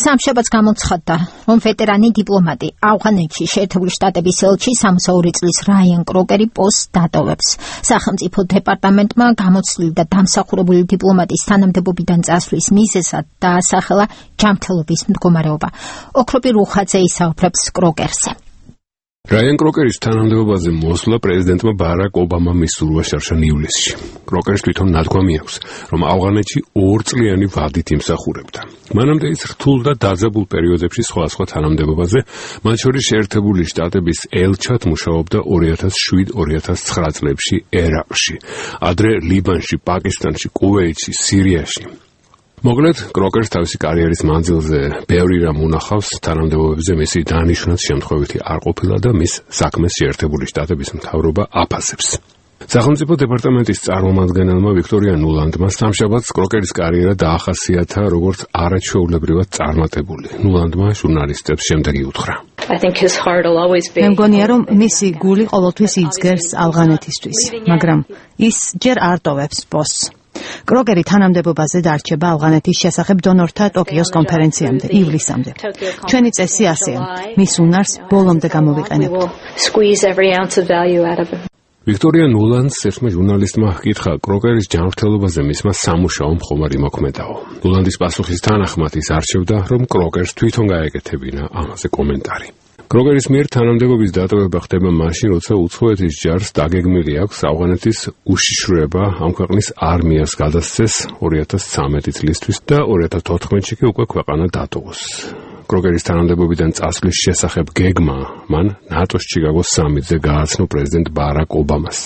სამშაბათს გამოცხადდა, რომ ვეტერანი დიპლომატი ავღანეთში შეერთებული შტატების ელჩი 62 წლის რაიან კროკერი პოსტს დატოვებს. სახელმწიფო დეპარტამენტმა გამოცდილი და დამსახურებული დიპლომატის თანამდებობიდან წასვლის მიზეზად დაასახელა ჯანმრთელობის მდგომარეობა. ოქროპი რუხაძე ისაუბრებს კროკერზე. რაიან კროკერის თანამდებობაზე მოსვლა პრეზიდენტმა ბარაკ ობამამ მისურვა შარშან ივლისში. კროკერს თვითონ ნათქვამი აქვს, რომ ავღანეთში 2 წლიანი ვადით იმსახურებდა. მანამდე ის რთულ და დაძაბულ პერიოდებში სხვადასხვა თანამდებობაზე, მათ შორის შეერთებული შტატების ელჩად მუშაობდა 2007-2009 წლებში ერაყში, ადრე ლიბანში, პაკისტანში, კუვეითში, სირიაში. მოკლედ, კროკერს თავისი კარიერის მანძილზე ბევრი რამ უნახავს, თანამდებობებზე მისი დანიშვნაც შემთხვევითი არ ყოფილა და მის საქმეს შეერთებული შტატების მთავრობა აფასებს. სახელმწიფო დეპარტამენტის წარმომადგენელმა ვიქტორია ნულანდმა სამშაბათს კროკერის კარიერა დაახასიათა როგორც არაჩვეულებრივად წარმატებული. ნულანდმა ჟურნალისტებს შემდეგი უთხრა. მე მგონია, რომ მისი გული ყოველთვის იძგერს ავღანეთისთვის, მაგრამ ის ჯერ არ ტოვებს პოსტს. კროკერი თანამდებობაზე დარჩება ავღანეთის შესახებ დონორთა ტოკიოს კონფერენციამდე, ივლისამდე. ჩვენი წესი ასეა, მის უნარს ბოლომდე გამოვიყენებ. ვიქტორია ნულანდს ერთმა ჟურნალისტმა ჰკითხა კროკერის ჯანმრთელობაზე მისმა სამუშაო მხომარი მოქმედაო. ნულანდის პასუხის თანახმად ის არჩევდა, რომ კროკერს თვითონ გაეკეთებინა ამაზე კომენტარი. კროკერის მიერ თანამდებობის დატოვება ხდება მაშინ, როცა უცხოეთის ჯარს დაგეგმილი აქვს ავღანეთის უშიშროება ამ ქვეყნის არმიას გადასცეს 2013 წლისთვის და 2014-ში კი უკვე ქვეყანა დატოვოს. კროკერის თანამდებობიდან წასვლის შესახებ გეგმა მან ნატოს ჩიკაგოს სამიტზე გააცნო პრეზიდენტ ბარაკ ობამას.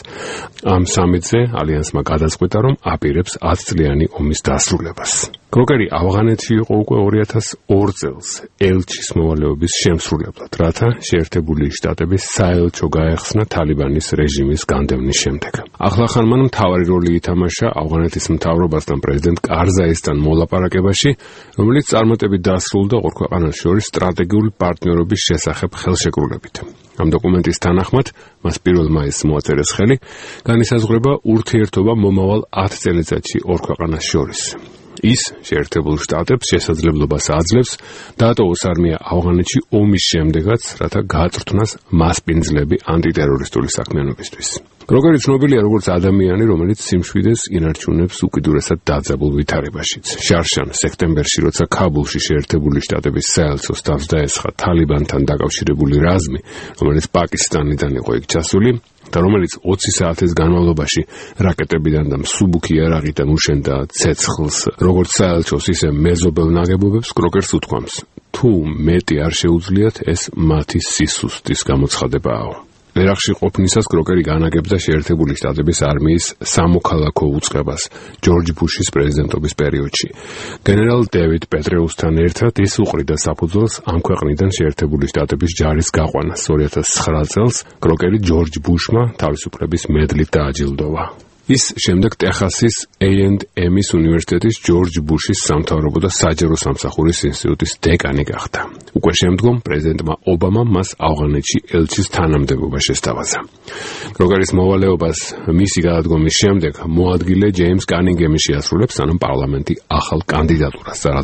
ამ სამიტზე ალიანსმა გადაწყვიტა, რომ აპირებს 10 წლიანი ომის დასრულებას. კროკერი ავღანეთში იყო უკვე 2002 წელს ელჩის მოვალეობის შემსრულებლად, რათა შეერთებული შტატების საელჩო გაეხსნა თალიბანის რეჟიმის განდევნის შემდეგ. ახლახან მან მთავარი როლი ითამაშა ავღანეთის მთავრობასთან პრეზიდენტ კარზაისთან მოლაპარაკებაში, რომელიც წარმატებით დასრულდა ორ ქვეყანას შორის სტრატეგიული პარტნიორობის შესახებ ხელშეკრულებით. ამ დოკუმენტის თანახმად მას 1 მაისს მოაწერეს ხელი, განისაზღვრება ურთიერთობა მომავალ 10 წელიწადში ორ ქვეყანას შორის. ის შეერთებულ შტატებს შესაძლებლობას აძლევს დაატოვოს არმია ავღანეთში ომის შემდეგაც, რათა გააწვრთნას მასპინძლები ანტიტერორისტული საქმიანობისთვის. კროკერი ცნობილია როგორც ადამიანი, რომელიც სიმშვიდეს ინარჩუნებს უკიდურესად დაძაბულ ვითარებაშიც. შარშან სექტემბერში, როცა ქაბულში შეერთებული შტატების საელჩოს თავს დაესხა თალიბანთან დაკავშირებული რაზმი, რომელიც პაკისტანიდან იყო იქ ჩასული და რომელიც 20 საათის განმავლობაში რაკეტებიდან და მსუბუქი იარაღიდან უშენდა ცეცხლს, როგორც საელჩოს, ისე მეზობელ ნაგებობებს, კროკერს უთქვამს, თუ მეტი არ შეუძლიათ, ეს მათი სისუსტის გამოცხადებაა. ერაყში ყოფნისას კროკერი განაგებდა შეერთებული შტატების არმიის სამოქალაქო უწყებას ჯორჯ ბუშის პრეზიდენტობის პერიოდში. გენერალ დევიდ პეტრეუსთან ერთად ის უყრიდა საფუძველს ამ ქვეყნიდან შეერთებული შტატების ჯარის გაყვანას. 2009 წელს კროკერი ჯორჯ ბუშმა თავისუფლების მედლით დააჯილდოვა. ის შემდეგ ტეხასის A&M's უნივერსიტეტის ჯორჯ ბუშის სამთავრობო და საჯარო სამსახურის ინსტიტუტის დეკანი გახდა. უკვე შემდგომ პრეზიდენტმა ობამამ მას ავღანეთში ელჩის თანამდებობა შესთავაზა. კროკერის მოვალეობას მისი გადადგომის შემდეგ მოადგილე ჯეიმს კანინგემი შეასრულებს, სანამ პარლამენტი ახალ კანდიდატურას წარადგენს.